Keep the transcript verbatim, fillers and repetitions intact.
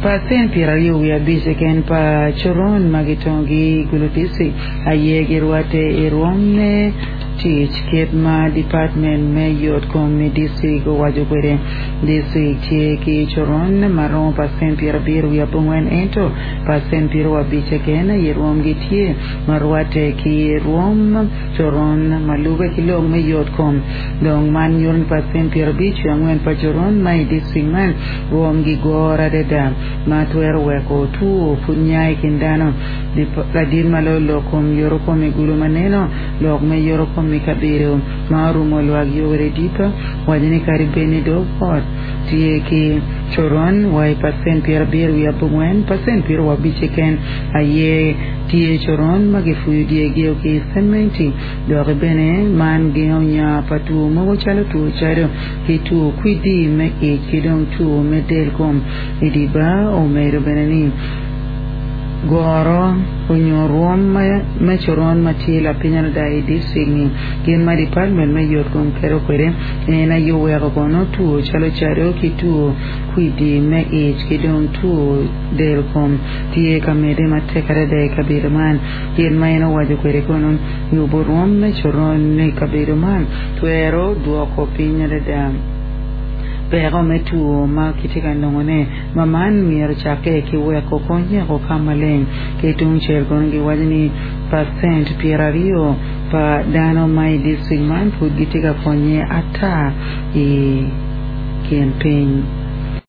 Pacent pyeraryo wiye abic keken pa coron ma gitongogi i Gulu District aye girwatte i rwom me tic kit ma Department me yot kom i district owaco kwede. District tye ki coron ma romo pacent pyerabiro wiye abongwen ento pacent pyeraryo abic keken aye rwomgi tye ma rwatte ki rwom coron ma lube ki lok me yot kom. Dong man nyuto ni pacent pyerabic wiye angwen pa coron ma i district man rwomgi goro adada ma twero weko two pud nya i kin dano. Ladit ma loyo lok kom yoto kom i Gulu ma neno lok me yoto kom i kabedo ma orumo lwak Yoweri Dipa waco ni kadi bed ni dog ot tye ki coron wa i pacent pyerabiro wiye abongwen pacent pyeraryo abic keken aye tye coron ma gifuyo dyegio ki cementi dok bene man gengo nya pa two mogo calo two cado ki two kwidi me ic ki dong two me del kom. Idiba omedo bene ni goro onyo rwom me coron ma tye lapiny adada i district ni gin ma department me yot kom keto kwede en aye oweko kono two calo cado ki two kwidi me ic ki dong two del kom tye ka medde matek adada i kabedo man. Gin ma en owaco kwede kono yubo rwom me coron i kabedo man twero dwoko piny adada peko me two ma kitye ka nongone ma man myero cakke ki weko konyeko ka maleng. Ki tungcel kono giwaco ni pacent pyeraryo pa dano ma i district man pud gitye ka konye ata i kin piny.